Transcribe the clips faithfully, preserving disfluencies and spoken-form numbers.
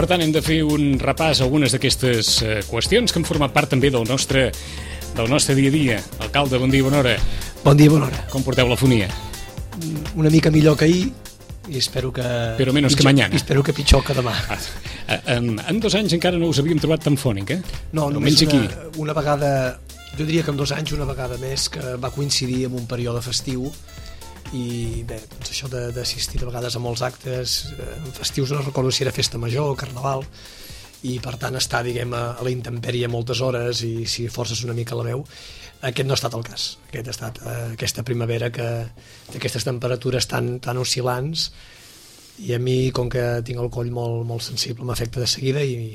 Per tant, hem de fer un repàs a algunes d'aquestes eh, qüestions que han format part també del nostre, del nostre dia a dia. Alcalde, bon dia, bona hora. Bon dia, bona hora. Com porteu la fonia? Una mica millor que ahir i espero que... Però menos pitjor, que mañana. Espero que pitjor que demà. Ah, en, en dos anys encara no us havíem trobat tan fònic, eh? No, només Almenys una, aquí. una vegada, jo diria que en dos anys una vegada més, que va coincidir amb un període festiu i bé, doncs això d'assistir de vegades a molts actes eh, festius, no recordo si era festa major o carnaval, i per tant estar, diguem, a, a la intempèrie moltes hores i si forces una mica la veu, aquest no ha estat el cas. Aquest ha estat eh, aquesta primavera que d'aquestes temperatures tan, tan oscil·lants, i a mi, com que tinc el coll molt, molt sensible, m'afecta de seguida i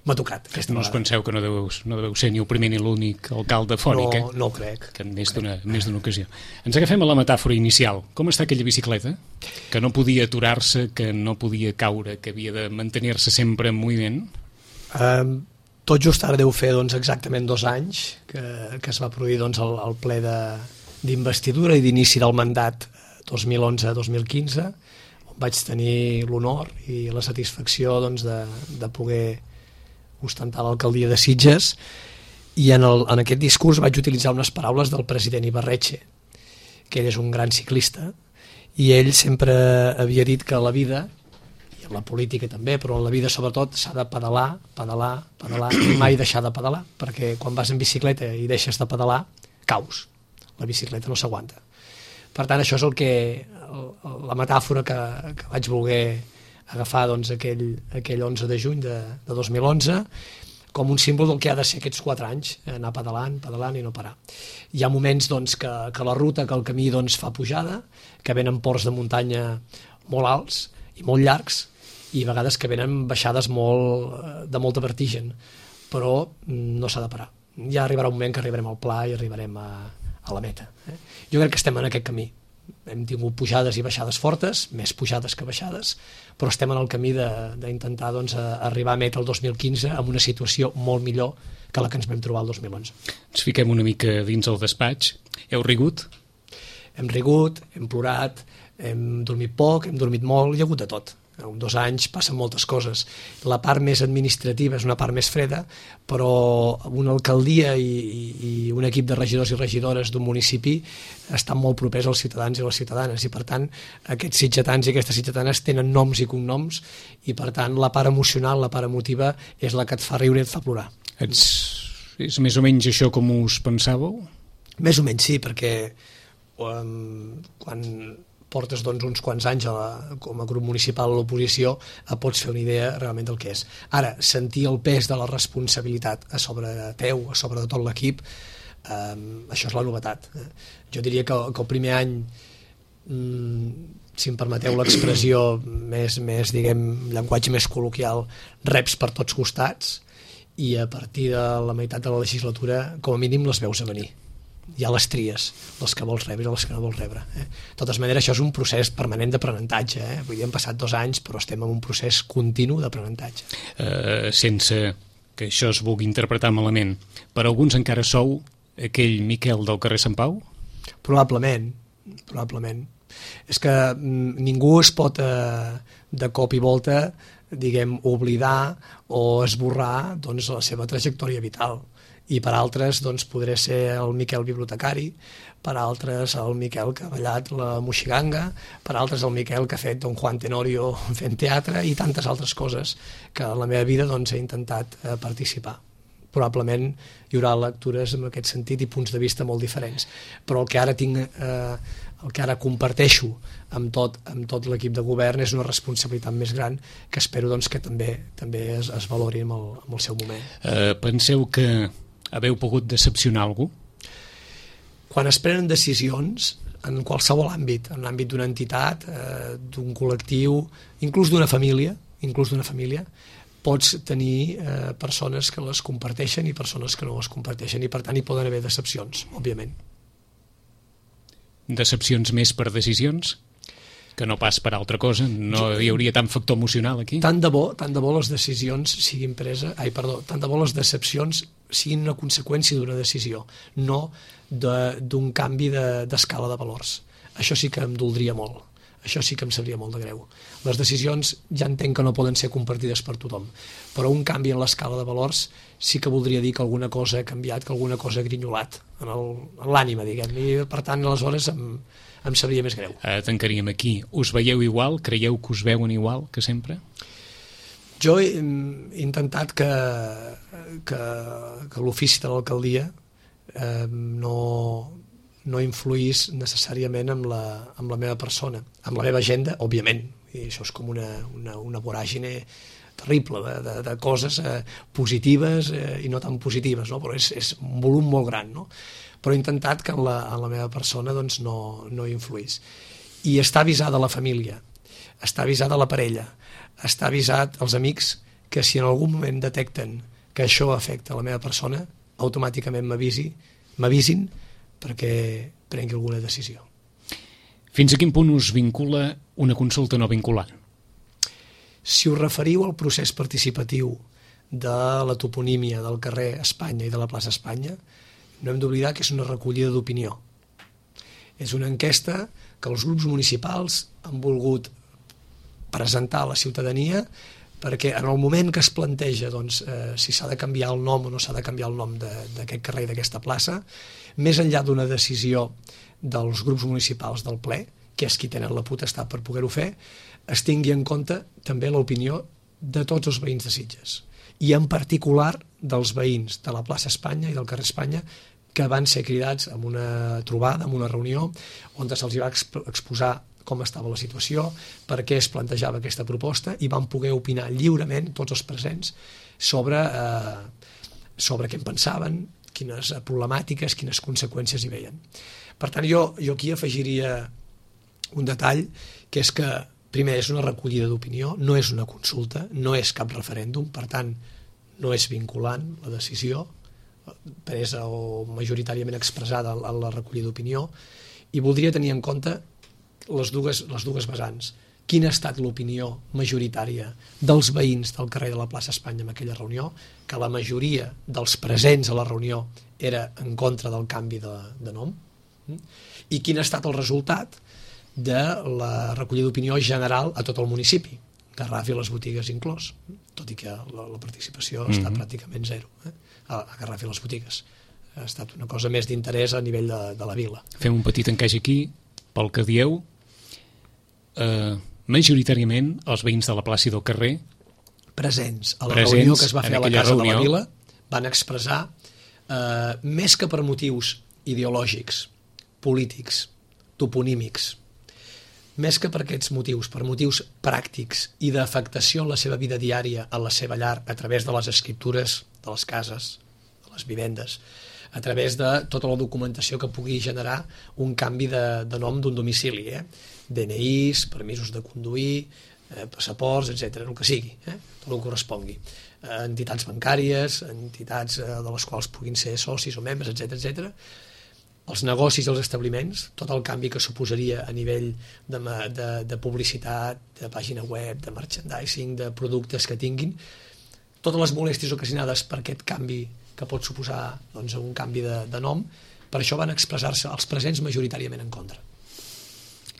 m'ha tocat. No us penseu que no deveu, no deveu ser ni el primer ni l'únic alcalde fònic, no, eh? No ho crec. Que en més d'una més d'una ocasió. Ens agafem a la metàfora inicial. Com està aquella bicicleta? Que no podia aturar-se, que no podia caure, que havia de mantenir-se sempre en moviment? Um, tot just ara deu fer doncs, exactament dos anys que, que es va produir doncs, el, el ple d'investidura i d'inici del mandat dos mil onze dos mil quinze, on vaig tenir l'honor i la satisfacció doncs, de, de poder ostentar l'alcaldia de Sitges, i en, el, en aquest discurs vaig utilitzar unes paraules del president Ibarretxe, que ell és un gran ciclista, i ell sempre havia dit que la vida, i en la política també, però en la vida sobretot s'ha de pedalar, pedalar, pedalar, i mai deixar de pedalar, perquè quan vas en bicicleta i deixes de pedalar, caus. La bicicleta no s'aguanta. Per tant, això és el que, la metàfora que, que vaig voler agafar doncs, aquell, aquell onze de juny de, de dos mil onze com un símbol del que ha de ser aquests quatre anys, anar pedalant, pedalant i no parar. Hi ha moments doncs, que, que la ruta, que el camí doncs, fa pujada, que venen ports de muntanya molt alts i molt llargs, i a vegades que venen baixades molt, de molta vertigen, però no s'ha de parar. Ja arribarà un moment que arribarem al pla i arribarem a, a la meta. Eh? Jo crec que estem en aquest camí. Hem tingut pujades i baixades fortes, més pujades que baixades, però estem en el camí d'intentar doncs, arribar a meta el dos mil quinze amb una situació molt millor que la que ens vam trobar el dos mil onze. Ens fiquem una mica dins el despatx. Heu rigut? Hem rigut, hem plorat, hem dormit poc, hem dormit molt, hi ha hagut de tot. En dos anys passen moltes coses. La part més administrativa és una part més freda, però una alcaldia i, i, i un equip de regidors i regidores d'un municipi estan molt propers als ciutadans i les ciutadanes, i per tant aquests sitgetans i aquestes sitgetanes tenen noms i cognoms, i per tant la part emocional, la part emotiva és la que et fa riure i et fa plorar. Ets, és més o menys això com us pensàveu? Més o menys sí, perquè um, quan portes doncs, uns quants anys a la, com a grup municipal a l'oposició, pots fer una idea realment del que és. Ara, sentir el pes de la responsabilitat a sobre teu, a sobre de tot l'equip, eh, això és la novetat. Eh? Jo diria que, que el primer any, mm, si em permeteu l'expressió més, més, diguem, llenguatge més col·loquial, reps per tots costats, i a partir de la meitat de la legislatura, com a mínim, les veus a venir. Hi ha les tries, les que vols rebre i les que no vols rebre. Eh? De totes maneres, això és un procés permanent d'aprenentatge. Eh? Vull dir, hem passat dos anys, però estem en un procés continu d'aprenentatge. Uh, sense que això es vulgui interpretar malament, per alguns encara sou aquell Miquel del carrer Sant Pau? Probablement, probablement. És que mm, ningú es pot, eh, de cop i volta, diguem, oblidar o esborrar doncs, la seva trajectòria vital. I per altres doncs, podré ser el Miquel bibliotecari, per altres el Miquel que ha ballat la moixiganga, per altres el Miquel que ha fet Don Juan Tenorio fent teatre i tantes altres coses que en la meva vida doncs, he intentat eh, participar. Probablement hi haurà lectures en aquest sentit i punts de vista molt diferents, però el que ara tinc, eh, el que ara comparteixo amb tot, amb tot l'equip de govern és una responsabilitat més gran que espero doncs, que també, també es, es valori en el, en el seu moment. Uh, penseu que haveu pogut decepcionar algú? Quan es prenen decisions en qualsevol àmbit, en l'àmbit d'una entitat, eh, d'un col·lectiu, inclús d'una família, inclús d'una família, pots tenir eh, persones que les comparteixen i persones que no les comparteixen, i per tant hi poden haver decepcions, òbviament. Decepcions més per decisions? Que no pas per altra cosa? No hi hauria tant factor emocional aquí? Tant de bo, tant de bo les decisions siguin presa, ai, perdó, tant de bo les decepcions siguin una conseqüència d'una decisió, no d'un de, canvi d'escala de, de valors. Això sí que em doldria molt. això sí que em sabria molt de greu. Les decisions ja entenc que no poden ser compartides per tothom, però un canvi en l'escala de valors sí que voldria dir que alguna cosa ha canviat, que alguna cosa ha grinyolat en l'ànima, diguem, i per tant aleshores em, em sabria més greu. Eh, tancaríem aquí. Us veieu igual? Creieu que us veuen igual que sempre? Jo he, he intentat que, que, que l'ofici de l'alcaldia eh, no, no influís necessàriament amb la, amb la meva persona, amb la meva agenda, òbviament, i això és com una, una, una voràgine terrible de, de, de coses eh, positives eh, i no tan positives, no? Però és, és un volum molt gran, no? Però he intentat que en la, en la meva persona doncs, no, no influís. I està avisada la família, està avisada la parella, està avisat els amics que si en algun moment detecten que això afecta la meva persona, automàticament m'avisi, m'avisin perquè prengui alguna decisió. Fins a quin punt us vincula una consulta no vinculant? Si us referiu al procés participatiu de la toponímia del carrer Espanya i de la plaça Espanya, no hem d'oblidar que és una recollida d'opinió. És una enquesta que els grups municipals han volgut presentar a la ciutadania perquè en el moment que es planteja doncs, eh, si s'ha de canviar el nom o no s'ha de canviar el nom d'aquest carrer i d'aquesta plaça, més enllà d'una decisió dels grups municipals del ple, que és qui tenen la potestat per poder-ho fer, es tingui en compte també l'opinió de tots els veïns de Sitges, i en particular dels veïns de la plaça Espanya i del carrer Espanya, que van ser cridats en una trobada, en una reunió, on se'ls va exposar com estava la situació, per què es plantejava aquesta proposta, i van poder opinar lliurement, tots els presents, sobre, eh, sobre què en pensaven, quines problemàtiques, quines conseqüències hi veien. Per tant, jo, jo aquí afegiria un detall, que és que, primer, és una recollida d'opinió, no és una consulta, no és cap referèndum, per tant, no és vinculant la decisió, presa o majoritàriament expressada a la recollida d'opinió, i voldria tenir en compte les dues, les dues vessants. Quina ha estat l'opinió majoritària dels veïns del carrer de la plaça Espanya en aquella reunió, que la majoria dels presents a la reunió era en contra del canvi de, de nom, i quin ha estat el resultat de la recollida d'opinió general a tot el municipi, Garraf i les botigues inclòs, tot i que la, la participació ha estat mm-hmm. pràcticament zero, eh? a, a Garraf i les botigues. Ha estat una cosa més d'interès a nivell de, de la vila. Fem un petit encaix aquí, pel que dieu, eh, majoritàriament els veïns de la plaça i del carrer presents a la presents reunió que es va fer a la Casa reunió. de la Vila van expressar, eh, més que per motius ideològics, polítics, toponímics, més que per aquests motius, per motius pràctics i d'afectació en la seva vida diària, en la seva llar, a través de les escriptures de les cases, de les vivendes, a través de tota la documentació que pugui generar un canvi de, de nom d'un domicili, eh? D N Is, permisos de conduir, eh, passaports, etcètera, el que sigui, eh? tot el que correspongui. Eh, entitats bancàries, entitats eh, de les quals puguin ser socis o membres, etcètera, etcètera. Els negocis i els establiments, tot el canvi que suposaria a nivell de, de, de publicitat, de pàgina web, de merchandising, de productes que tinguin, totes les molèsties ocasionades per aquest canvi que pot suposar doncs, un canvi de, de nom, per això van expressar-se els presents majoritàriament en contra.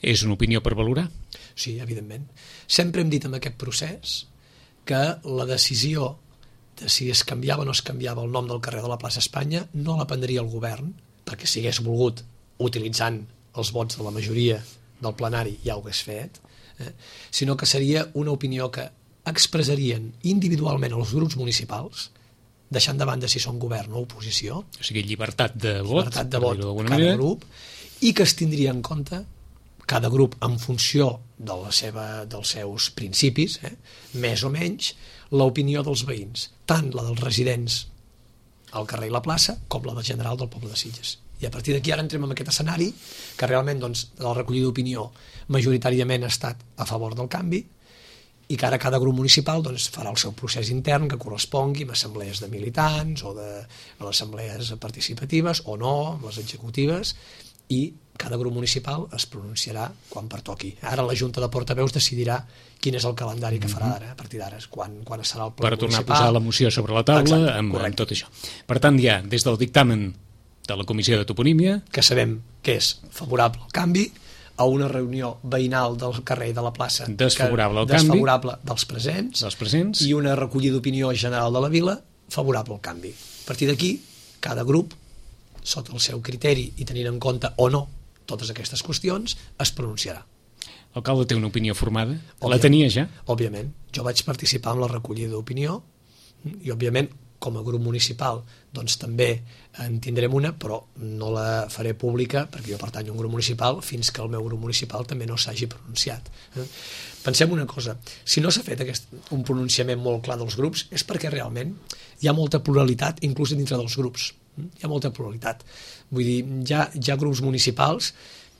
És una opinió per valorar? Sí, evidentment. Sempre hem dit en aquest procés que la decisió de si es canviava o no es canviava el nom del carrer de la plaça Espanya no la prendria el govern, perquè si hagués volgut, utilitzant els vots de la majoria del plenari, ja ho hagués fet, eh? sinó que seria una opinió que expressarien individualment els grups municipals, deixant de banda si són govern o oposició, o sigui, llibertat de vot, llibertat de vot cada manera. grup, i que es tindria en compte cada grup en funció de la seva, dels seus principis, eh? més o menys, l'opinió dels veïns, tant la dels residents al carrer i la plaça, com la del general del poble de Sitges. I a partir d'aquí ara entrem en aquest escenari que realment doncs, la recollida d'opinió majoritàriament ha estat a favor del canvi i que ara cada grup municipal doncs, farà el seu procés intern que correspongui amb assemblees de militants o de amb assemblees participatives o no, amb les executives, i cada grup municipal es pronunciarà quan pertoqui. Ara la Junta de Portaveus decidirà quin és el calendari que farà ara, a partir d'ara, quan, quan serà el ple per tornar municipal. a posar la moció sobre la taula. Exacte, amb, correcte. amb tot això. Per tant, ja, des del dictamen de la Comissió de Toponímia, que sabem que és favorable al canvi, a una reunió veïnal del carrer i de la plaça desfavorable al desfavorable canvi, dels presents, dels presents i una recollida d'opinió general de la vila favorable al canvi. A partir d'aquí, cada grup, sota el seu criteri i tenint en compte o no totes aquestes qüestions, es pronunciarà. L'alcalde té una opinió formada? Òbviament, la tenia ja? Òbviament. Jo vaig participar en la recollida d'opinió i, òbviament, com a grup municipal, doncs també en tindrem una, però no la faré pública perquè jo pertanyo a un grup municipal fins que el meu grup municipal també no s'hagi pronunciat. Pensem una cosa, si no s'ha fet aquest, un pronunciament molt clar dels grups és perquè realment hi ha molta pluralitat inclús dintre dels grups. Hi ha molta pluralitat. Vull dir, hi ha, hi ha grups municipals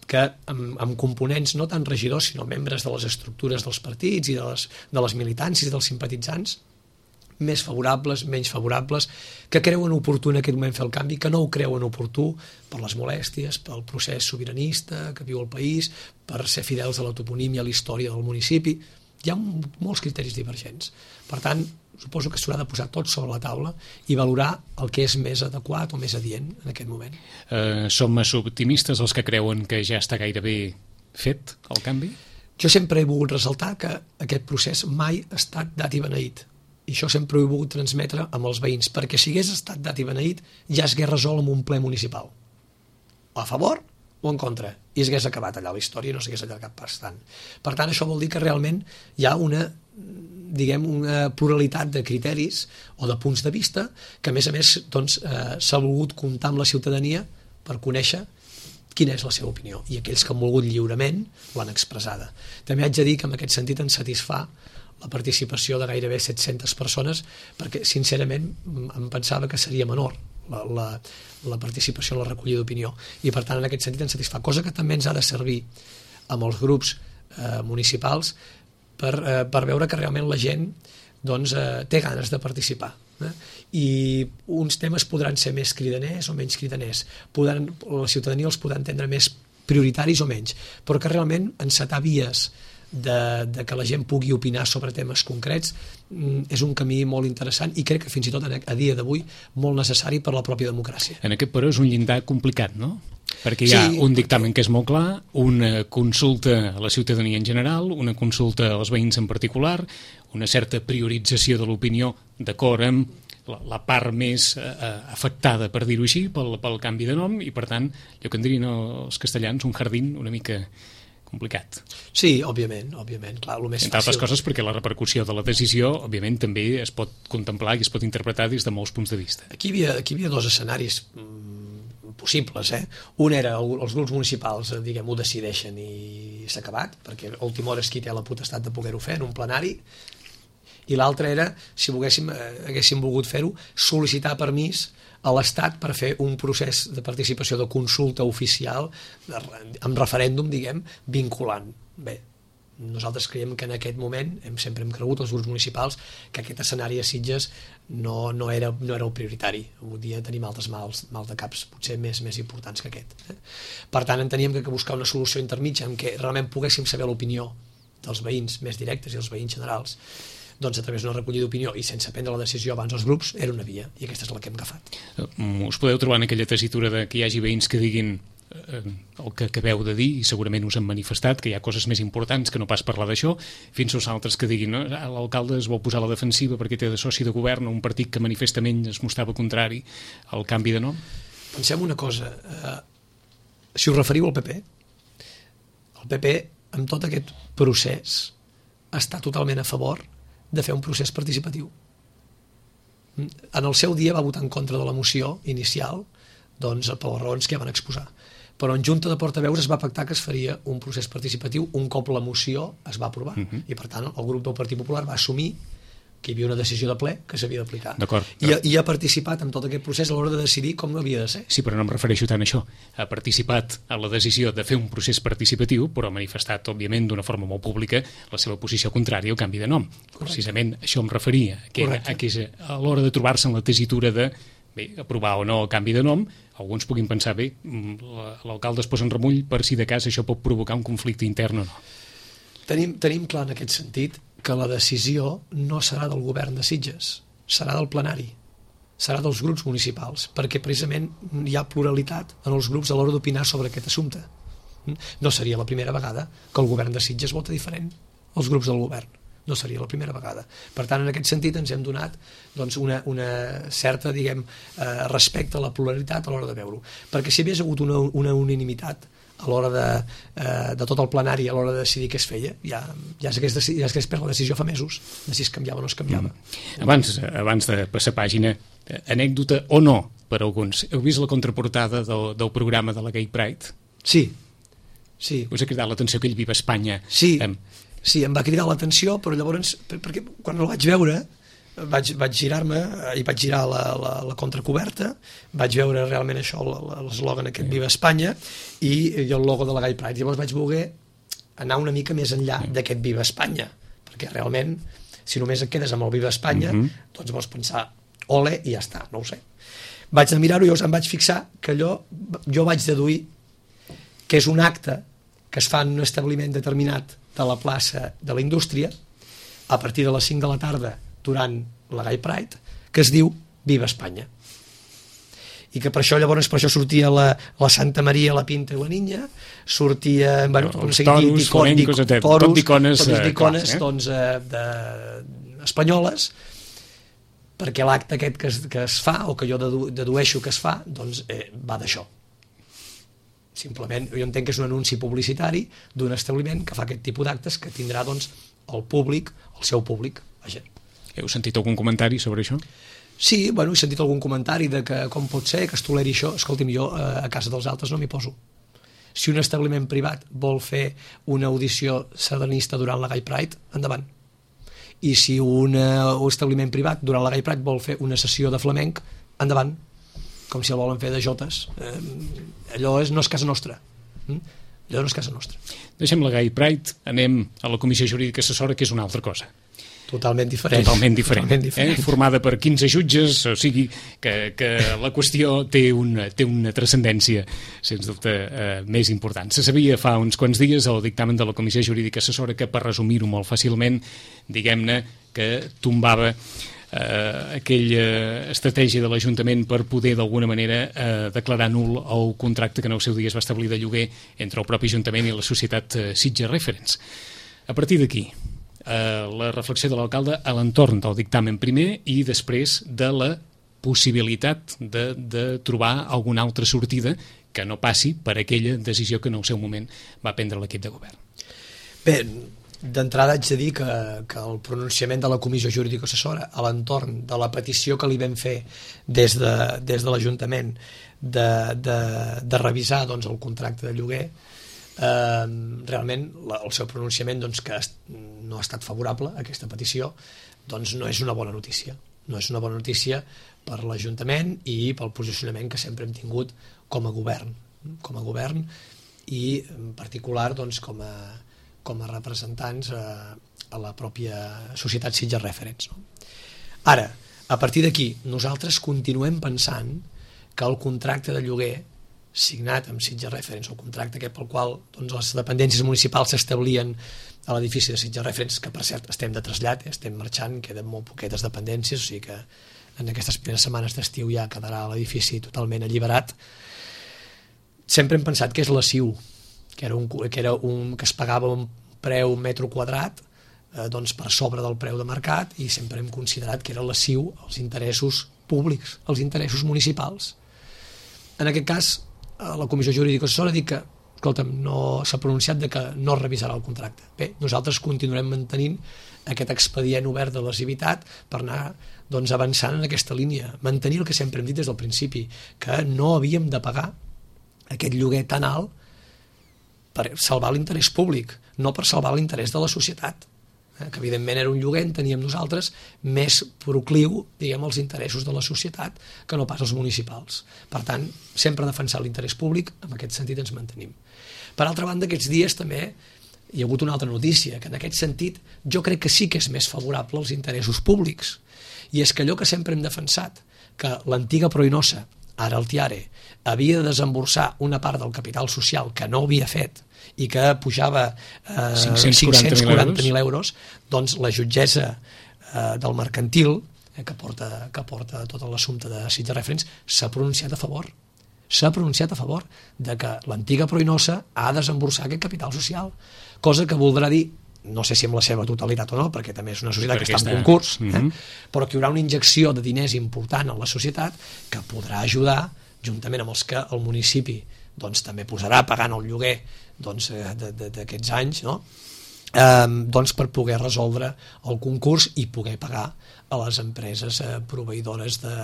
que amb, amb components no tant regidors sinó membres de les estructures dels partits i de les, de les militàncies i dels simpatitzants més favorables, menys favorables, que creuen oportú en aquest moment fer el canvi, que no ho creuen oportú per les molèsties, pel procés sobiranista que viu el país, per ser fidels a la toponímia, a la història del municipi. Hi ha molts criteris divergents. Per tant, suposo que s'haurà de posar tot sobre la taula i valorar el que és més adequat o més adient en aquest moment. Eh, som massa optimistes els que creuen que ja està gairebé fet el canvi? Jo sempre he volgut ressaltar que aquest procés mai ha estat dat i beneït. I això sempre ho he volgut transmetre amb els veïns, perquè si hagués estat dat i beneït ja es hagués resolt amb un ple municipal. A favor o en contra. I es hagués acabat allà la història i no s'hagués allargat bastant. Per tant, això vol dir que realment hi ha una, diguem, una pluralitat de criteris o de punts de vista que, a més a més, doncs, eh, s'ha volgut comptar amb la ciutadania per conèixer quina és la seva opinió. I aquells que han volgut lliurement l'han expressada. També haig de dir que en aquest sentit ens satisfà la participació de gairebé set-centes persones, perquè sincerament em pensava que seria menor la, la, la participació en la recollida d'opinió, i per tant en aquest sentit ens satisfà, cosa que també ens ha de servir amb els grups eh, municipals per, eh, per veure que realment la gent doncs, eh, té ganes de participar. Eh? I uns temes podran ser més cridaners o menys cridaners, podran, la ciutadania els podrà entendre més prioritaris o menys, però que realment encetar vies De, de que la gent pugui opinar sobre temes concrets és un camí molt interessant i crec que fins i tot a dia d'avui molt necessari per la pròpia democràcia. En aquest però és un llindar complicat, no? Perquè hi ha sí, un dictamen que és molt clar, una consulta a la ciutadania en general, una consulta als veïns en particular, una certa priorització de l'opinió d'acord amb la, la part més eh, afectada, per dir-ho així, pel, pel canvi de nom, i per tant, allò que en dirien els castellans, un jardín una mica complicat. Sí, òbviament, òbviament, clar, el més Entre altres fàcil... coses perquè la repercussió de la decisió, òbviament, també es pot contemplar i es pot interpretar des de molts punts de vista. Aquí hi havia, aquí hi havia dos escenaris mm, possibles, eh? Un era el, els grups municipals, diguem, ho decideixen i s'ha acabat, perquè a última hora és qui té la potestat de poder-ho fer en un plenari, i l'altre era, si volguéssim, eh, haguéssim volgut fer-ho, sol·licitar permís a l'Estat per fer un procés de participació de consulta oficial de, amb referèndum, diguem, vinculant. Bé, nosaltres creiem que en aquest moment, hem, sempre hem cregut, els grups municipals, que aquest escenari a Sitges no, no, era, no era el prioritari. Avui dia tenim altres mals, mals de caps potser més, més importants que aquest. Eh? Per tant, enteníem que, que buscar una solució intermitja en què realment poguéssim saber l'opinió dels veïns més directes i els veïns generals, doncs a través d'una recollida d'opinió i sense prendre la decisió abans dels grups, era una via, i aquesta és la que hem agafat. Us podeu trobar en aquella tessitura de que hi hagi veïns que diguin eh, el que acabeu de dir, i segurament us han manifestat que hi ha coses més importants que no pas parlar d'això, fins als altres que diguin no, l'alcalde es vol posar a la defensiva perquè té de soci de govern un partit que manifestament es mostrava contrari al canvi de nom? Pensem una cosa, eh, si us referiu al P P, el P P, amb tot aquest procés, està totalment a favor de fer un procés participatiu. En el seu dia va votar en contra de la moció inicial, doncs per les raons que ja van exposar. Però en Junta de Portaveus es va pactar que es faria un procés participatiu un cop la moció es va aprovar. Uh-huh. I per tant el grup del Partit Popular va assumir que hi havia una decisió de ple que s'havia d'aplicar. I, I ha participat en tot aquest procés a l'hora de decidir com havia de ser. Sí, però no em refereixo tant a això. Ha participat en la decisió de fer un procés participatiu, però ha manifestat, òbviament, d'una forma molt pública la seva posició contrària al canvi de nom. Correcte. Precisament això em referia, que, a, que a l'hora de trobar-se en la tessitura de bé, aprovar o no el canvi de nom, alguns puguin pensar, bé, l'alcalde es posa en remull per si de cas això pot provocar un conflicte intern o no. Tenim, tenim clar en aquest sentit que la decisió no serà del govern de Sitges, serà del plenari, serà dels grups municipals, perquè precisament hi ha pluralitat en els grups a l'hora d'opinar sobre aquest assumpte. No seria la primera vegada que el govern de Sitges vota diferent als grups del govern. No seria la primera vegada. Per tant, en aquest sentit ens hem donat doncs, una, una certa, diguem, eh, respecte a la pluralitat a l'hora de veure-ho. Perquè si hi hagués hagut una, una unanimitat a l'hora de, eh, de tot el plenari, a l'hora de decidir què es feia, ja, ja s'hagués ja s'hagués pres la decisió fa mesos de si es canviava o no es canviava. Mm. Abans, abans de passar pàgina, anècdota o no per alguns, heu vist la contraportada del, del programa de la Gay Pride? Sí, sí. Us ha cridat l'atenció aquell Viva Espanya? Sí, em... sí, em va cridar l'atenció, però llavors, perquè quan el vaig veure, vaig, vaig girar-me i vaig girar la, la, la contracoberta, vaig veure realment això, l'eslògan aquest Viva Espanya i, i el logo de la Gay Pride. Llavors vaig voler anar una mica més enllà d'aquest Viva Espanya, perquè realment, si només et quedes amb el Viva Espanya, mm-hmm. doncs vols pensar ole i ja està, no ho sé. Vaig de mirar-ho i llavors em vaig fixar que allò, jo vaig deduir que és un acte que es fa en un establiment determinat de la plaça de la Indústria a partir de les cinc de la tarda durant la Gay Pride, que es diu Viva Espanya. I que per això llavors per això sortia la, la Santa Maria, la Pinta i la Niña, sortia bueno, els toros, flamencos, tot d'icones, tot d'icones eh? doncs, eh, de, espanyoles, perquè l'acte aquest que es, que es fa, o que jo dedu, dedueixo que es fa, doncs eh, va d'això. Simplement, jo entenc que és un anunci publicitari d'un establiment que fa aquest tipus d'actes que tindrà doncs, el públic, el seu públic. Vaja. Heu sentit algun comentari sobre això? Sí, bueno, he sentit algun comentari de que com pot ser que es toleri això. Escolti'm, jo eh, a casa dels altres no m'hi poso. Si un establiment privat vol fer una audició sardanista durant la Gay Pride, endavant. I si un, uh, un establiment privat durant la Gay Pride vol fer una sessió de flamenc, endavant. Com si el volen fer de jotes. Eh, allò és, no és casa nostra. Mm? Allò no és casa nostra. Deixem la Gay Pride, anem a la Comissió Jurídica Assessora, que és una altra cosa. Totalment diferent. Totalment diferent. Totalment diferent. Eh? Formada per quinze jutges, o sigui que, que la qüestió té una, té una transcendència, sens dubte, eh, més important. Se sabia fa uns quants dies el dictamen de la Comissió Jurídica Assessora que, per resumir-ho molt fàcilment, diguem-ne que tombava eh, aquella estratègia de l'Ajuntament per poder d'alguna manera eh, declarar nul el contracte que en el seu dia es va establir de lloguer entre el propi Ajuntament i la societat eh, Sitges Reference. A partir d'aquí, eh, la reflexió de l'alcalde a l'entorn del dictamen primer i després de la possibilitat de, de trobar alguna altra sortida que no passi per aquella decisió que en el seu moment va prendre l'equip de govern. Bé, d'entrada haig de dir que, que el pronunciament de la Comissió Jurídica Assessora a l'entorn de la petició que li vam fer des de, des de l'Ajuntament de, de, de revisar doncs, el contracte de lloguer, eh, realment la, el seu pronunciament doncs, que no ha estat favorable a aquesta petició, doncs no és una bona notícia. No és una bona notícia per l'Ajuntament i pel posicionament que sempre hem tingut com a govern, com a govern i en particular doncs, com a com a representants a, a la pròpia societat Sitges Reference. No? Ara, a partir d'aquí, nosaltres continuem pensant que el contracte de lloguer signat amb Sitges Reference, el contracte aquest pel qual doncs, les dependències municipals s'establien a l'edifici de Sitges Reference, que per cert estem de trasllat, eh, estem marxant, queden molt poquetes dependències, o sigui que en aquestes primeres setmanes d'estiu ja quedarà l'edifici totalment alliberat. Sempre hem pensat que és la C I U, que era un, que, era un, que es pagava un preu un metro quadrat eh, doncs per sobre del preu de mercat i sempre hem considerat que era la C I U els interessos públics, els interessos municipals. En aquest cas, la Comissió Jurídica Assessora ha dit que escolta'm, no s'ha pronunciat de que no revisarà el contracte. Bé, nosaltres continuem mantenint aquest expedient obert de lesivitat per anar doncs, avançant en aquesta línia, mantenir el que sempre hem dit des del principi, que no havíem de pagar aquest lloguer tan alt per salvar l'interès públic, no per salvar l'interès de la societat, eh? que evidentment era un lloguer, teníem nosaltres, més procliu, diguem, als interessos de la societat que no pas als municipals. Per tant, sempre defensar l'interès públic, en aquest sentit ens mantenim. Per altra banda, aquests dies també hi ha hagut una altra notícia, que en aquest sentit jo crec que sí que és més favorable als interessos públics, i és que allò que sempre hem defensat, que l'antiga Proinosa, ara el Tiare, havia de desemborsar una part del capital social que no havia fet i que pujava eh, cinc-cents quaranta mil euros, doncs la jutgessa eh, del mercantil, eh, que, porta, que porta tot l'assumpte de Sitges Reference, s'ha pronunciat a favor. s'ha pronunciat a favor de que l'antiga Proinosa ha de desemborsar aquest capital social, cosa que voldrà dir, no sé si amb la seva totalitat o no, perquè també és una societat que està en concurs, eh? Mm-hmm. però que hi haurà una injecció de diners important en la societat que podrà ajudar, juntament amb els que el municipi doncs, també posarà pagant el lloguer doncs, d'aquests anys, no? Eh, doncs per poder resoldre el concurs i poder pagar a les empreses eh, proveïdores de,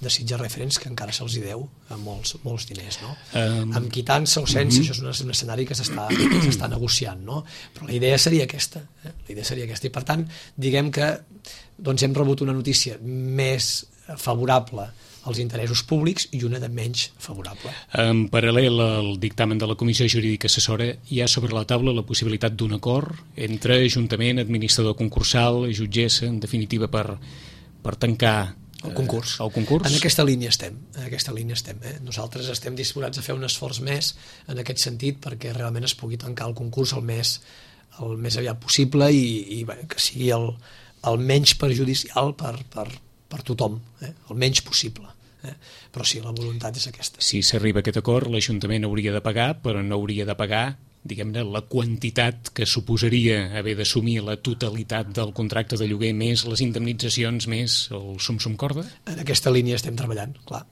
de Sitges Referents, que encara se'ls hi deu eh, molts, molts diners, no? Um, amb quitança o sense, uh-huh. això és un, un escenari que s'està negociant, no? Però la idea seria aquesta, eh? la idea seria aquesta, i per tant, diguem que doncs, hem rebut una notícia més favorable als interessos públics i una de menys favorable. En paral·lel al dictamen de la Comissió Jurídica Assessora hi ha sobre la taula la possibilitat d'un acord entre Ajuntament, administrador concursal, jutgessa, en definitiva per, per tancar el concurs. Eh, el concurs. En aquesta línia estem. En aquesta línia estem eh? Nosaltres estem disposats a fer un esforç més en aquest sentit perquè realment es pugui tancar el concurs el més, el més aviat possible i, i bé, que sigui el, el menys perjudicial per, per, per tothom, eh? el menys possible. Eh? Però sí, la voluntat és aquesta. Si s'arriba a aquest acord, l'Ajuntament hauria de pagar, però no hauria de pagar, diguem-ne, la quantitat que suposaria haver d'assumir la totalitat del contracte de lloguer més les indemnitzacions més el sum-sum corda? En aquesta línia estem treballant, clar.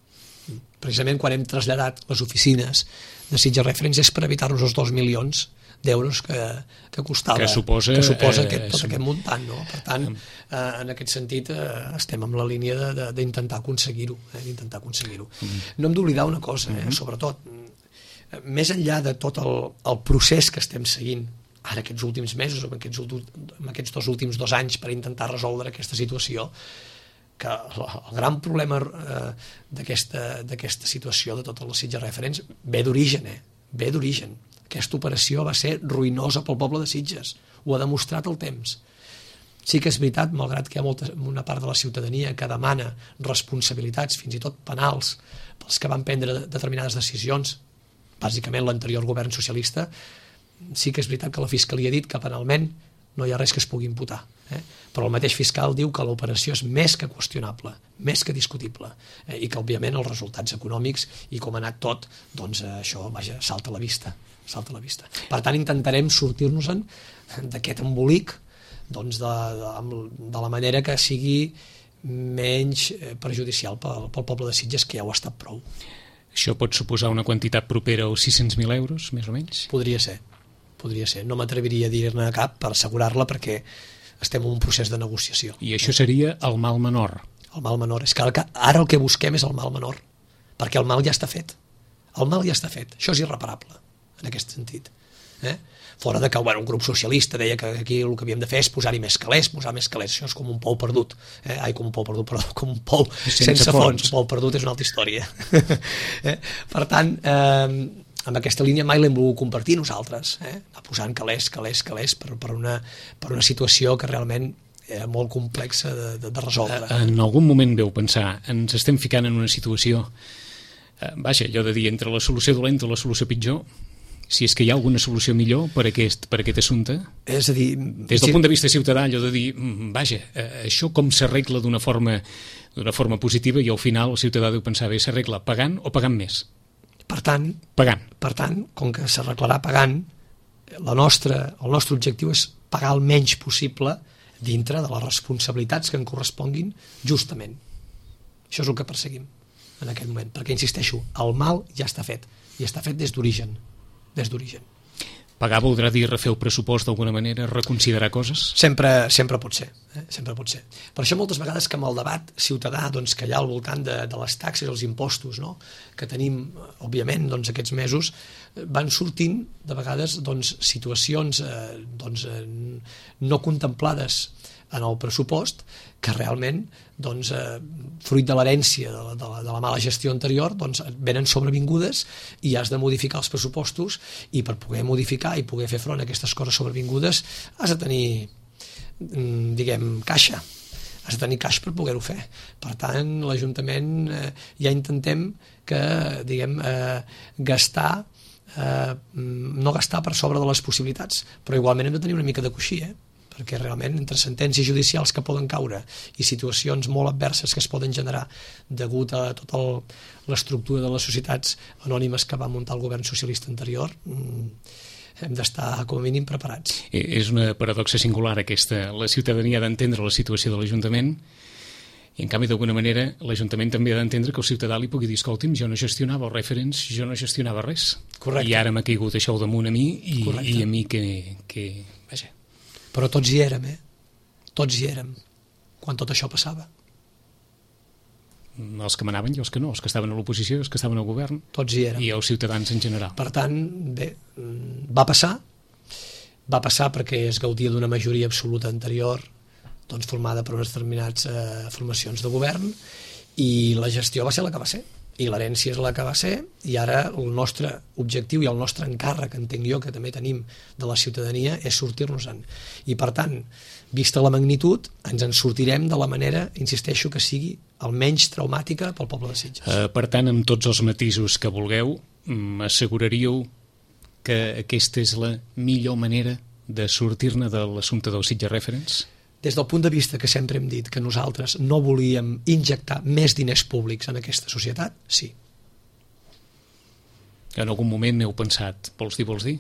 Precisament quan hem traslladat les oficines de Sitges Referents és per evitar-nos els dos milions d'euros que, que costava que suposa, que suposa eh, aquest, tot aquest muntant, no? Per tant, eh, en aquest sentit eh, estem en la línia d'intentar aconseguir-ho eh, d'intentar aconseguir-ho. Mm. No hem d'oblidar una cosa, eh, mm-hmm. sobretot més enllà de tot el, el procés que estem seguint ara aquests últims mesos, en aquests, en aquests dos últims dos anys per intentar resoldre aquesta situació, que el, el gran problema eh, d'aquesta situació de totes les Sitges Referents ve d'origen, eh? ve d'origen. Aquesta operació va ser ruïnosa pel poble de Sitges, ho ha demostrat el temps. Sí que és veritat, malgrat que hi ha molta, una part de la ciutadania que demana responsabilitats, fins i tot penals, pels que van prendre determinades decisions, bàsicament l'anterior govern socialista, sí que és veritat que la Fiscalia ha dit que penalment no hi ha res que es pugui imputar. Eh? Però el mateix fiscal diu que l'operació és més que qüestionable, més que discutible, eh? i que òbviament els resultats econòmics i com ha anat tot, doncs això, vaja, salta a la vista. salta a la vista. Per tant, intentarem sortir-nos-en d'aquest embolic doncs de, de, de la manera que sigui menys perjudicial pel, pel poble de Sitges, que ja ho ha estat prou. Això pot suposar una quantitat propera als sis-cents mil euros, més o menys? Podria ser, podria ser. No m'atreviria a dir-ne cap per assegurar-la perquè estem en un procés de negociació. I això seria el mal menor? El mal menor. És que ara el que busquem és el mal menor, perquè el mal ja està fet. El mal ja està fet. Això és irreparable, en aquest sentit. Eh? Fora de que bueno, un grup socialista deia que aquí el que havíem de fer és posar-hi més calés, posar més calés, això és com un pou perdut, eh? Ai, com un pou perdut, perdó, com un pou sense, sense fons, fons. Pou perdut és una altra història. eh? Per tant, eh, amb aquesta línia mai l'hem volgut compartir nosaltres, eh? anar posant calés, calés, calés per, per, una, per una situació que realment era molt complexa de, de, de resoldre. En algun moment veu pensar, ens estem ficant en una situació, eh, vaja, allò de dir, entre la solució dolenta o la solució pitjor, si és que hi ha alguna solució millor per aquest, per aquest assumpte? És a dir... Des del si... punt de vista ciutadà, allò de dir, vaja, això com s'arregla d'una forma, d'una forma positiva i al final el ciutadà deu pensar, bé, s'arregla pagant o pagant més? Per tant, pagant. Per tant, com que s'arreglarà pagant, la nostra, el nostre objectiu és pagar el menys possible dintre de les responsabilitats que en corresponguin justament. Això és el que perseguim en aquest moment, perquè, insisteixo, el mal ja està fet, i està fet des d'origen. des d'origen. Pagar voldrà dir refer el pressupost d'alguna manera, reconsiderar coses? Sempre, sempre pot ser, eh? sempre pot ser. Per això moltes vegades que amb el debat ciutadà doncs, que hi ha al voltant de, de les taxes i els impostos, no? que tenim, òbviament, doncs, aquests mesos, van sortint de vegades doncs, situacions eh, doncs, eh, no contemplades en el pressupost que realment doncs, eh, fruit de l'herència de, la, de, la, de la mala gestió anterior doncs, venen sobrevingudes i has de modificar els pressupostos i per poder modificar i poder fer front a aquestes coses sobrevingudes has de tenir diguem caixa has de tenir caix per poder-ho fer. Per tant, l'Ajuntament eh, ja intentem que diguem eh, gastar eh, no gastar per sobre de les possibilitats, però igualment hem de tenir una mica de coixí, eh? perquè realment entre sentències judicials que poden caure i situacions molt adverses que es poden generar degut a tota l'estructura de les societats anònimes que va muntar el govern socialista anterior, hem d'estar com a mínim preparats. És una paradoxa singular aquesta. La ciutadania ha d'entendre la situació de l'Ajuntament i, en canvi, d'alguna manera, l'Ajuntament també ha d'entendre que el ciutadà li pugui dir, escolti'm, jo no gestionava els referents, jo no gestionava res. Correcte. I ara m'ha caigut això damunt a mi i, i a mi que... que vaja. Però tots hi érem, eh? Tots hi érem, quan tot això passava. Els que manaven i els que no, els que estaven a l'oposició, els que estaven al govern. Tots hi érem. I els ciutadans en general. Per tant, bé, va passar, va passar perquè es gaudia d'una majoria absoluta anterior, doncs formada per unes determinades eh, formacions de govern, i la gestió va ser la que va ser, i l'herència és la que va ser, i ara el nostre objectiu i el nostre encàrrec, entenc jo, que també tenim de la ciutadania, és sortir-nos-en. I per tant, vista la magnitud, ens en sortirem de la manera, insisteixo, que sigui almenys traumàtica pel poble de Sitges. Uh, per tant, amb tots els matisos que vulgueu, m'asseguraríeu que aquesta és la millor manera de sortir-ne de l'assumpte del Sitges Reference? Des del punt de vista que sempre hem dit que nosaltres no volíem injectar més diners públics en aquesta societat, sí. En algun moment heu pensat, vols dir, vols dir?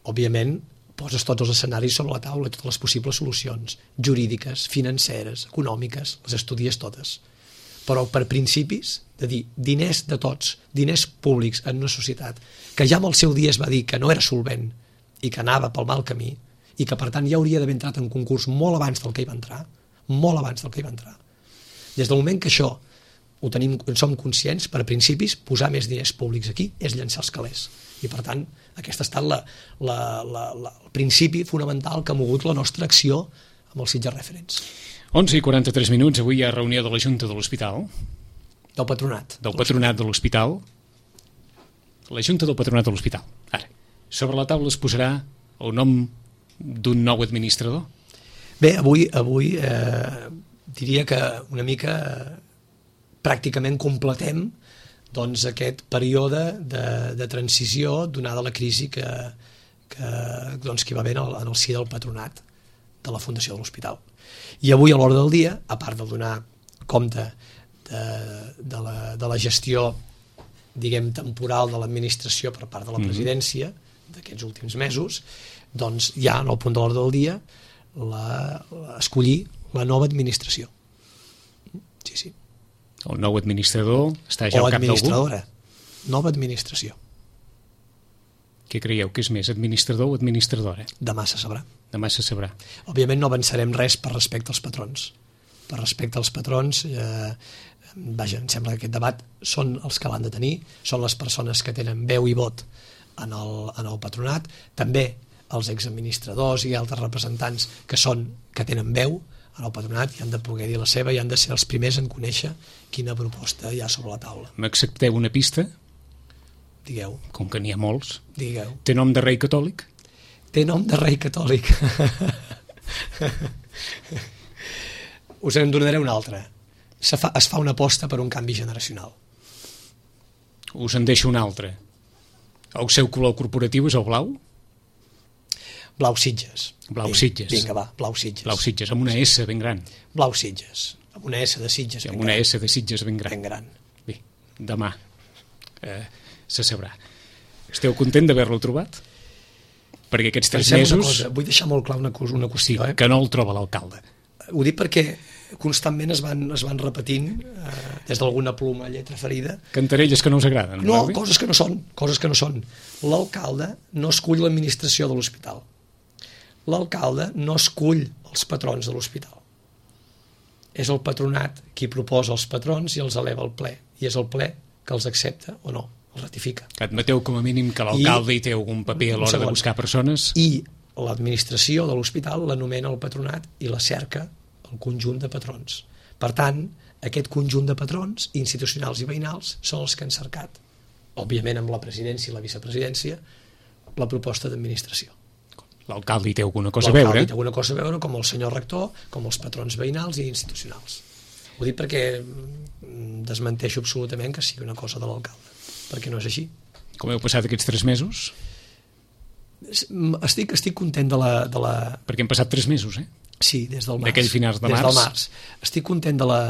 Òbviament, poses tots els escenaris sobre la taula, totes les possibles solucions, jurídiques, financeres, econòmiques, les estudies totes. Però per principis, de dir diners de tots, diners públics en una societat, que ja en el seu dia es va dir que no era solvent i que anava pel mal camí, i que per tant ja hauria d'haver entrat en concurs molt abans del que hi va entrar, molt abans del que hi va entrar. Des del moment que això ho tenim, en som conscients, per principis, posar més diners públics aquí és llançar els calés. I per tant, aquest ha estat la, la, la, la, el principi fonamental que ha mogut la nostra acció amb el Sitges Reference. onze i quaranta-tres minuts, avui hi ha reunió de la Junta de l'Hospital. Del patronat. Del patronat de l'Hospital. La Junta del Patronat de l'Hospital. Ara, sobre la taula es posarà el nom d'un nou administrador? Bé, avui, avui eh, diria que una mica eh, pràcticament completem doncs, aquest període de, de transició donada la crisi que, que, doncs, que hi va haver en el, en el si del patronat de la Fundació de l'Hospital. I avui a l'hora del dia, a part de donar compte de, de, la, de la gestió diguem temporal de l'administració per part de la presidència d'aquests últims mesos, doncs ja en el punt de l'ordre del dia la, la, escollir la nova administració. Sí, sí. El nou administrador està ja o al cap d'algú? O administradora. Nova administració. Què creieu que és més, administrador o administradora? Demà se sabrà. Demà se sabrà. Òbviament no avançarem res per respecte als patrons. Per respecte als patrons, eh, vaja, em sembla que aquest debat són els que l'han de tenir, són les persones que tenen veu i vot en el, en el patronat, també els exadministradors i altres representants que són que tenen veu en el patronat i han de poder dir la seva i han de ser els primers en conèixer quina proposta hi ha sobre la taula. M'accepteu una pista? Digueu. Com que n'hi ha molts. Digueu. Té nom de rei catòlic? Té nom de rei catòlic. Us en donaré una altra. Se fa, es fa una aposta per un canvi generacional. Us en deixo una altra. El seu color corporatiu és el blau? Blau Sitges. Blau Sitges. Vinga, va, Blau Sitges. Blau Sitges, amb una S ben gran. Blau Sitges, amb una S de Sitges ben gran. Amb una S de Sitges ben gran. Ben gran. Bé, demà eh, se sabrà. Esteu content d'haver-lo trobat? Perquè aquests tres Pensem mesos... Una cosa, vull deixar molt clar una, cosa, una qüestió. Sí, eh? que no el troba l'alcalde. Ho dic perquè constantment es van, es van repetint eh, des d'alguna pluma lletra ferida. Cantarelles que no us agraden. No, no coses que no són, coses que no són. L'alcalde no escull l'administració de l'hospital. L'alcalde no escull els patrons de l'hospital. És el patronat qui proposa els patrons i els eleva al ple. I és el ple que els accepta o no, els ratifica. Admeteu com a mínim que l'alcalde hi té algun paper a l'hora de buscar persones? I l'administració de l'hospital l'anomena el patronat i la cerca el conjunt de patrons. Per tant, aquest conjunt de patrons institucionals i veïnals són els que han cercat, òbviament amb la presidència i la vicepresidència, la proposta d'administració. L'alcalde hi té alguna cosa a veure? L'alcalde hi té alguna cosa a veure, com el senyor rector, com els patrons veïnals i institucionals. Ho dic perquè desmenteixo absolutament que sigui una cosa de l'alcalde, perquè no és així. Com heu passat aquests tres mesos? Estic, estic content de la, de la... Perquè hem passat tres mesos, eh? Sí, des del març. D'aquell finals de des març. Del març. Estic content de la,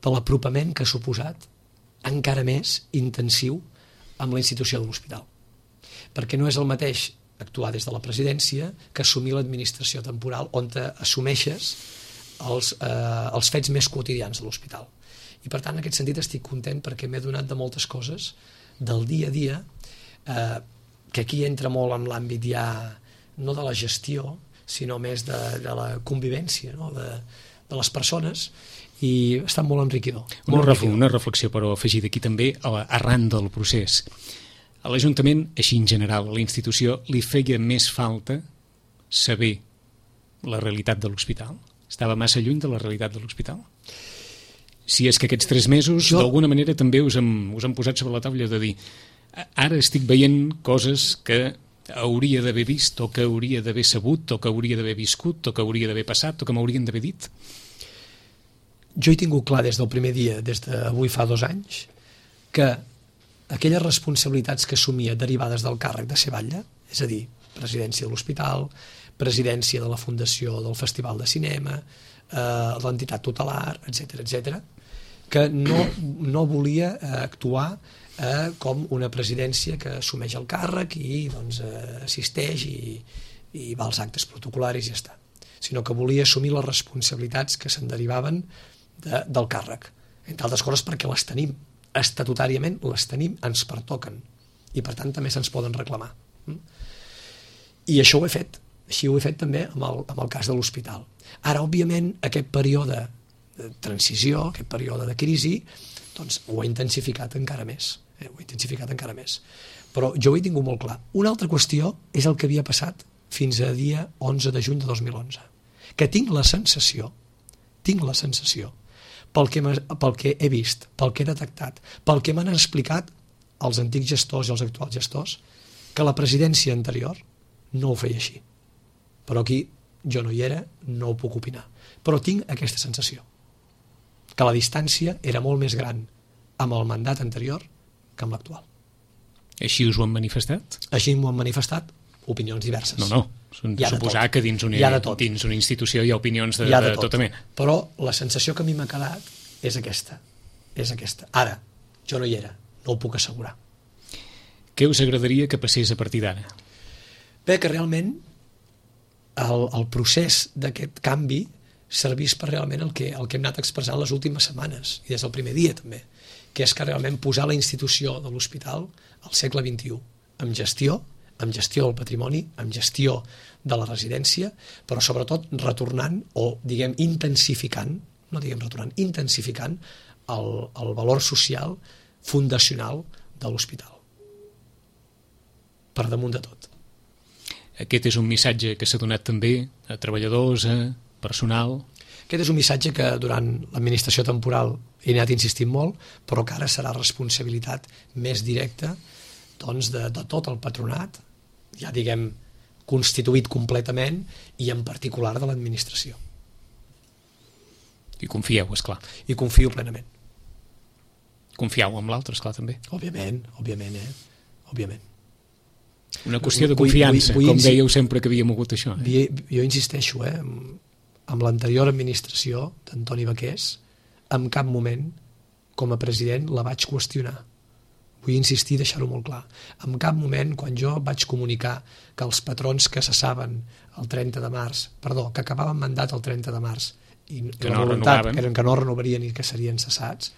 de l'apropament que ha suposat encara més intensiu amb la institució de l'hospital. Perquè no és el mateix actuar des de la presidència que assumir l'administració temporal on assumeixes els, eh, els fets més quotidians de l'hospital. I per tant, en aquest sentit, estic content perquè m'he donat de moltes coses del dia a dia, eh, que aquí entra molt en l'àmbit ja no de la gestió, sinó més de, de la convivència, no? de, de les persones, i ha estat molt enriquidor. Una, molt enriquidor. Una reflexió, però, afegida aquí també, arran del procés. A l'Ajuntament, així en general, a la institució, li feia més falta saber la realitat de l'hospital? Estava massa lluny de la realitat de l'hospital? Si és que aquests tres mesos, jo... d'alguna manera, també us hem, us hem posat sobre la taula de dir ara estic veient coses que hauria d'haver vist, o que hauria d'haver sabut, o que hauria d'haver viscut, o que hauria d'haver passat, o que m'haurien d'haver dit? Jo he tingut clar des del primer dia, des d'avui fa dos anys, que aquelles responsabilitats que assumia derivades del càrrec de ser batlle, és a dir, presidència de l'hospital, presidència de la Fundació del Festival de Cinema, eh, l'entitat tutelar, etcètera, etcètera, que no, no volia eh, actuar eh, com una presidència que assumeix el càrrec i doncs, eh, assisteix i, i va als actes protocolaris i ja està, sinó que volia assumir les responsabilitats que se'n derivaven de, del càrrec, entre altres coses perquè les tenim estatutàriament, les tenim, ens pertoquen i per tant també se'ns poden reclamar. I això ho he fet, així ho he fet també amb el, amb el cas de l'hospital. Ara, òbviament, aquest període de transició, aquest període de crisi, doncs ho he intensificat encara més, eh? ho he intensificat encara més. Però jo ho he tingut molt clar. Una altra qüestió és el que havia passat fins a dia onze de juny de dos mil onze, que tinc la sensació, tinc la sensació, pel que, pel que he vist, pel que he detectat, pel que m'han explicat els antics gestors i els actuals gestors, que la presidència anterior no ho feia així. Però aquí jo no hi era, no ho puc opinar. Però tinc aquesta sensació, que la distància era molt més gran amb el mandat anterior que amb l'actual. Així us ho han manifestat? Així m'ho han manifestat opinions diverses. No, no. Suposar que dins una, dins una institució hi ha opinions de, hi ha de, tot. de tota mena. Però la sensació que a mi m'ha quedat és aquesta. És aquesta. Ara, jo no hi era, no ho puc assegurar. Què us agradaria que passés a partir d'ara? Bé, que realment el, el procés d'aquest canvi servís per realment el que, el que hem anat expressant les últimes setmanes, i des del primer dia també, que és que realment posar la institució de l'hospital al segle vint-i-u, amb gestió, amb gestió del patrimoni, amb gestió de la residència, però sobretot retornant o, diguem, intensificant, no diguem retornant, intensificant el, el valor social fundacional de l'hospital. Per damunt de tot. Aquest és un missatge que s'ha donat també a treballadors, a personal? Aquest és un missatge que durant l'administració temporal he anat insistint molt, però que ara serà responsabilitat més directa doncs, de, de tot el patronat, ja diguem constituït completament, i en particular de l'administració. I confieu, esclar. I confio plenament. Confieu en l'altre, esclar, també. Òbviament, òbviament, eh? Òbviament. Una qüestió de confiança, vull, vull, vull com dèieu sempre que havíem hagut això. Eh? Jo insisteixo, eh? Amb l'anterior administració d'Antoni Baqués, en cap moment, com a president, la vaig qüestionar. Vull insistir i deixar-ho molt clar. En cap moment, quan jo vaig comunicar que els patrons que cessaven el trenta de març, perdó, que acabaven mandat el trenta de març, i que la no voluntat renovaven. eren que no renovarien i que serien cessats,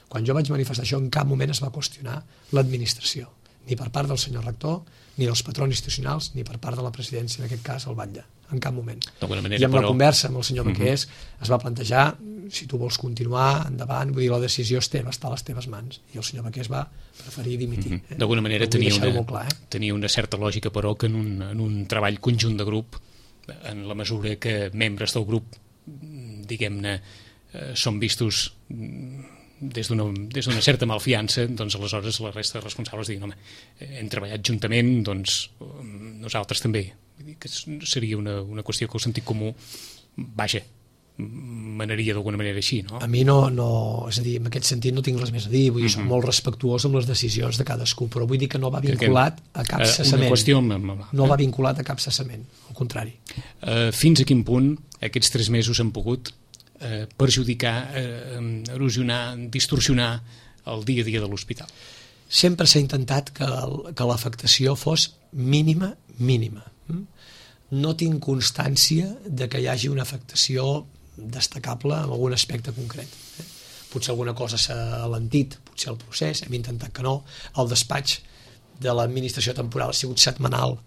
quan jo vaig manifestar això, en cap moment es va qüestionar l'administració, ni per part del senyor rector, ni dels patrons institucionals, ni per part de la presidència, en aquest cas, el batlle, en cap moment. Manera, I amb però... la conversa amb el senyor Baqués uh -huh. es va plantejar, si tu vols continuar, endavant, vull dir, la decisió és teva, està a les teves mans. I el senyor Baqués va preferir dimitir. Uh -huh. eh? D'alguna manera tenia una, clar, eh? tenia una certa lògica, però, que en un, en un treball conjunt de grup, en la mesura que membres del grup, diguem-ne, eh, són vistos des d'una des d'una certa malfiança, doncs aleshores la resta de responsables diguin, home, hem treballat juntament, doncs nosaltres també. Vull dir que seria una, una qüestió que el sentit comú, vaja, manaria d'alguna manera així, no? A mi no, no, és a dir, en aquest sentit no tinc res més a dir, vull dir, soc Mhm. molt respectuós amb les decisions de cadascú, però vull dir que no va vinculat a cap Eh, cessament. Una qüestió amb, amb, amb, No va vinculat a cap cessament, al contrari. Eh, fins a quin punt aquests tres mesos han pogut eh, perjudicar, eh, erosionar, distorsionar el dia a dia de l'hospital? Sempre s'ha intentat que, el- que l'afectació fos mínima, mínima. Mm? No tinc constància de que hi hagi una afectació destacable en algun aspecte concret. Eh? Potser alguna cosa s'ha alentit, potser el procés, hem intentat que no. El despatx de l'administració temporal ha sigut setmanal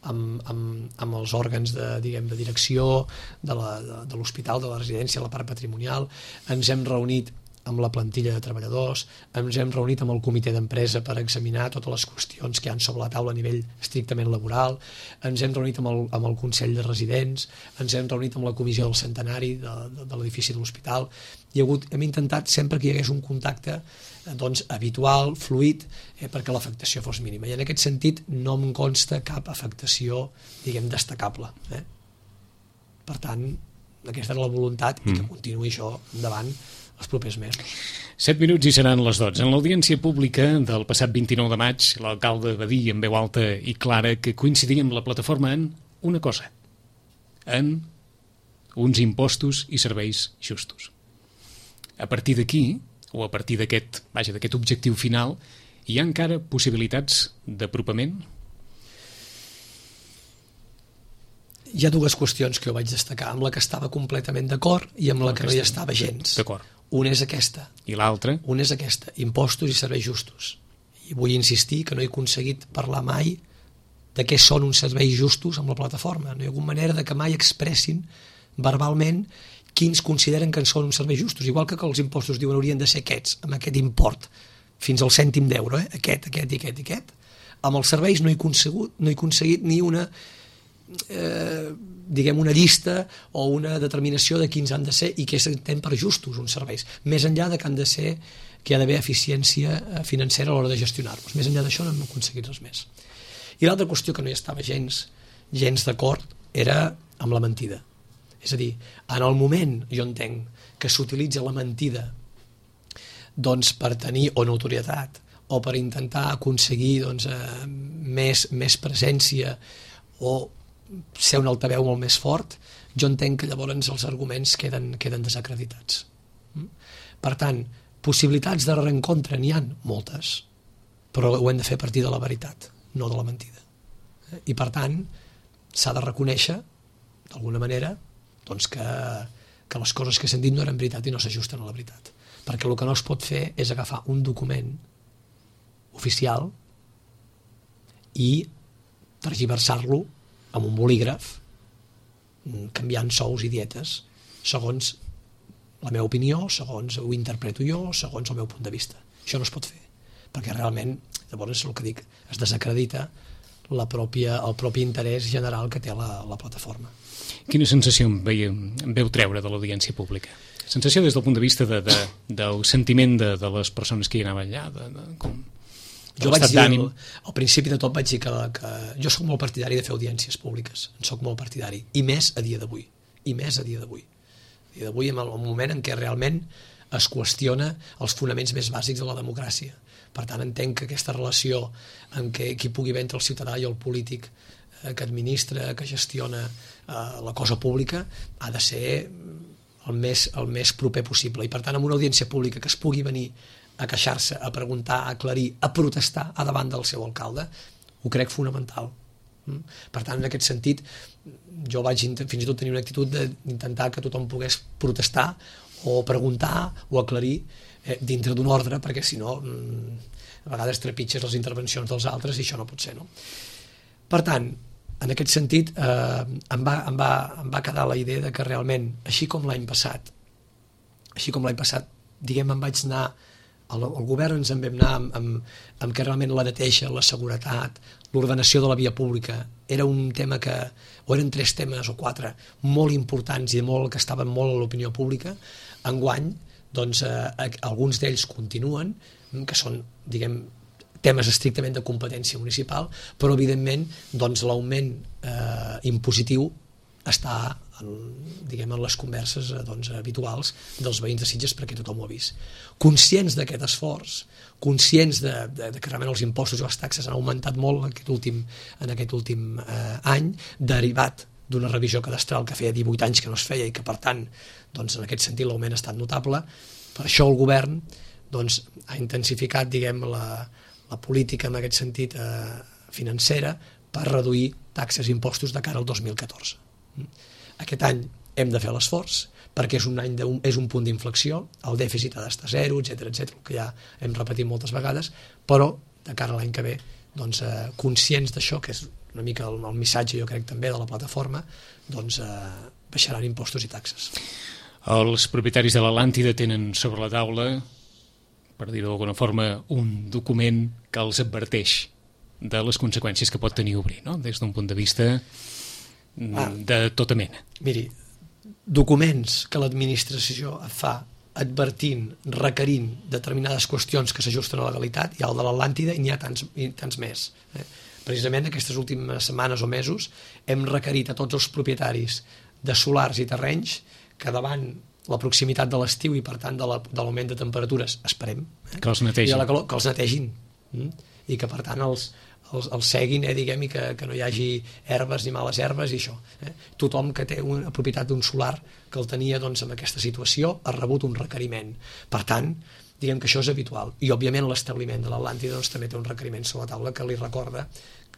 amb, amb, amb els òrgans de, diguem, de direcció de la- de, de l'hospital, de la residència, la part patrimonial. Ens hem reunit amb la plantilla de treballadors, ens hem reunit amb el comitè d'empresa per examinar totes les qüestions que hi ha sobre la taula a nivell estrictament laboral, ens hem reunit amb el, amb el Consell de Residents, ens hem reunit amb la comissió del centenari de, de, de l'edifici de l'hospital. Hi ha hagut, hem intentat sempre que hi hagués un contacte eh, doncs, habitual, fluid, eh, perquè l'afectació fos mínima. I en aquest sentit no em consta cap afectació, diguem, destacable. Eh? Per tant, aquesta era la voluntat i que continuï això endavant els propers mesos. Set minuts i seran les dotze. En l'audiència pública del passat vint-i-nou de maig, l'alcalde va dir en veu alta i clara que coincidia amb la plataforma en una cosa, en uns impostos i serveis justos. A partir d'aquí, o a partir d'aquest, vaja, d'aquest objectiu final, hi ha encara possibilitats d'apropament? Hi ha dues qüestions que jo vaig destacar, amb la que estava completament d'acord i amb la que no hi estava gens. D'acord. Una és aquesta, I l'altra? una és aquesta, impostos i serveis justos. I vull insistir que no he aconseguit parlar mai de què són uns serveis justos amb la plataforma. No hi ha hagut manera de que mai expressin verbalment quins consideren que són uns serveis justos. Igual que, que els impostos diuen haurien de ser aquests, amb aquest import, fins al cèntim d'euro, eh? aquest, aquest i aquest i aquest. Amb els serveis no he aconseguit, no he aconseguit ni una... Eh, diguem una llista o una determinació de quins han de ser i què s'entén per justos uns serveis, més enllà de que han de ser, que hi ha d'haver eficiència financera a l'hora de gestionar-los. Més enllà d'això no hem aconseguit res més. I l'altra qüestió que no hi estava gens, gens d'acord era amb la mentida. És a dir, en el moment, jo entenc, que s'utilitza la mentida doncs, per tenir o notorietat o per intentar aconseguir doncs, eh, més, més presència o ser un altaveu molt més fort, jo entenc que llavors els arguments queden, queden desacreditats. Per tant, possibilitats de reencontre n'hi ha moltes, però ho hem de fer a partir de la veritat, no de la mentida. I per tant, s'ha de reconèixer, d'alguna manera, doncs que, que les coses que s'han dit no eren veritat i no s'ajusten a la veritat. Perquè el que no es pot fer és agafar un document oficial i tergiversar-lo amb un bolígraf, canviant sous i dietes, segons la meva opinió, segons ho interpreto jo, segons el meu punt de vista. Això no es pot fer, perquè realment, llavors, el que dic, es desacredita la pròpia, el propi interès general que té la, la plataforma. Quina sensació em, veia, em veu treure de l'audiència pública? Sensació des del punt de vista de, de, del sentiment de, de les persones que hi anaven allà, de, de, com... Jo vaig dir, al, al principi de tot vaig dir que, que jo sóc molt partidari de fer audiències públiques, en sóc molt partidari, i més a dia d'avui, i més a dia d'avui. A dia d'avui, en el moment en què realment es qüestiona els fonaments més bàsics de la democràcia. Per tant, entenc que aquesta relació en què qui pugui haver entre el ciutadà i el polític eh, que administra, que gestiona eh, la cosa pública, ha de ser el més, el més proper possible. I per tant, amb una audiència pública que es pugui venir a queixar-se, a preguntar, a aclarir, a protestar a davant del seu alcalde, ho crec fonamental. Per tant, en aquest sentit, jo vaig fins i tot tenir una actitud d'intentar que tothom pogués protestar o preguntar o aclarir eh, dintre d'un ordre, perquè si no a vegades trepitges les intervencions dels altres i això no pot ser, no? Per tant, en aquest sentit eh, em, va, em, va, em va quedar la idea de que realment, així com l'any passat així com l'any passat, diguem, em vaig anar el, el govern ens en vam anar amb, amb, amb que realment la neteja, la seguretat, l'ordenació de la via pública era un tema que, o eren tres temes o quatre molt importants i molt, que estaven molt a l'opinió pública. Enguany, doncs, eh, alguns d'ells continuen, que són, diguem, temes estrictament de competència municipal, però evidentment doncs, l'augment eh, impositiu està en, diguem, en les converses doncs, habituals dels veïns de Sitges, perquè tothom ho ha vist. Conscients d'aquest esforç, conscients de, de, de que realment els impostos i les taxes han augmentat molt en aquest últim, en aquest últim eh, any, derivat d'una revisió cadastral que feia divuit anys que no es feia i que, per tant, doncs, en aquest sentit l'augment ha estat notable. Per això el govern doncs, ha intensificat, diguem, la, la política en aquest sentit eh, financera per reduir taxes i impostos de cara al dos mil catorze. Aquest any hem de fer l'esforç perquè és un, any de, és un punt d'inflexió, el dèficit ha d'estar zero, etcètera, etcètera, que ja hem repetit moltes vegades, però de cara a l'any que ve, doncs, eh, conscients d'això, que és una mica el, el missatge, jo crec, també de la plataforma, doncs eh, baixaran impostos i taxes. Els propietaris de l'Atlàntida tenen sobre la taula, per dir-ho d'alguna forma, un document que els adverteix de les conseqüències que pot tenir obrir, no? Des d'un punt de vista ah, de tota mena. Miri, documents que l'administració fa advertint, requerint determinades qüestions que s'ajusten a la legalitat, hi ha el de l'Atlàntida i n'hi ha tants, i tants més. Eh? Precisament aquestes últimes setmanes o mesos hem requerit a tots els propietaris de solars i terrenys que davant la proximitat de l'estiu i per tant de l'augment de, de temperatures, esperem, eh? que els netegin, la calor, que els netegin mm? i que per tant els, els, els seguin, eh, diguem, i que, que no hi hagi herbes ni males herbes i això. Eh? Tothom que té una propietat d'un solar que el tenia doncs, en aquesta situació ha rebut un requeriment. Per tant, diguem que això és habitual. I òbviament l'establiment de l'Atlàntida doncs, també té un requeriment sobre la taula que li recorda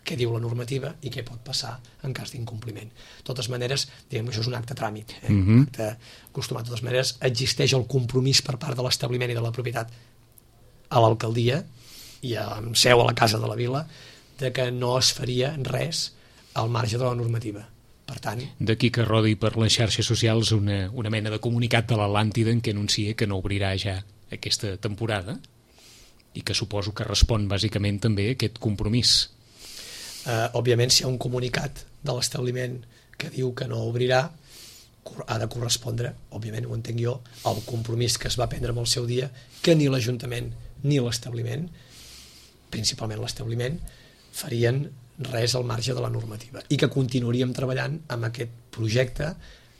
què diu la normativa i què pot passar en cas d'incompliment. De totes maneres, diguem que això és un acte tràmit, eh? Mm-hmm. un acte acostumat. De totes maneres, existeix el compromís per part de l'establiment i de la propietat a l'alcaldia i amb seu a la Casa de la Vila de que no es faria res al marge de la normativa. Per tant... D'aquí que rodi per les xarxes socials una, una mena de comunicat de l'Atlàntida en què anuncia que no obrirà ja aquesta temporada i que suposo que respon bàsicament també a aquest compromís. Uh, òbviament, si hi ha un comunicat de l'establiment que diu que no obrirà, ha de correspondre, òbviament ho entenc jo, al compromís que es va prendre en el seu dia, que ni l'Ajuntament ni l'establiment, principalment l'establiment, farien res al marge de la normativa i que continuaríem treballant amb aquest projecte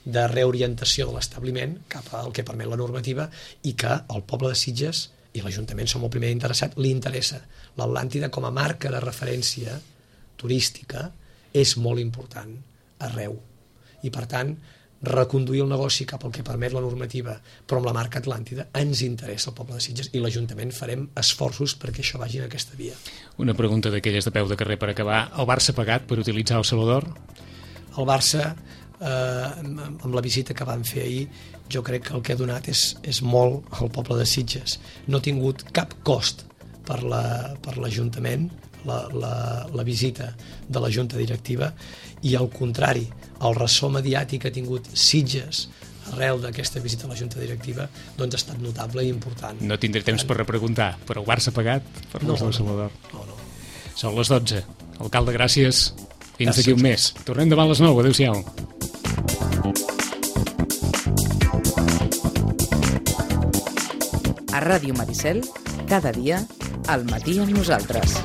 de reorientació de l'establiment cap al que permet la normativa i que el poble de Sitges i l'Ajuntament som el primer interessat, li interessa. L'Atlàntida com a marca de referència turística és molt important arreu i per tant reconduir el negoci cap al que permet la normativa però amb la marca Atlàntida ens interessa al poble de Sitges i l'Ajuntament farem esforços perquè això vagi en aquesta via. Una pregunta d'aquelles de peu de carrer per acabar. El Barça ha pagat per utilitzar el Salvador? El Barça eh, amb la visita que van fer ahir jo crec que el que ha donat és, és molt al poble de Sitges. No ha tingut cap cost per la, per l'Ajuntament La, la, la visita de la Junta Directiva i al contrari, el ressò mediàtic que ha tingut Sitges arrel d'aquesta visita a la Junta Directiva doncs ha estat notable i important. No tindré temps per repreguntar, però el Barça ha pagat per no, l'ús del Salvador? No, no. Són les dotze. Alcalde, gràcies. Fins d'aquí un mes. Tornem demà a les nou. Adéu-siau. A Ràdio Maricel, cada dia, al matí amb nosaltres.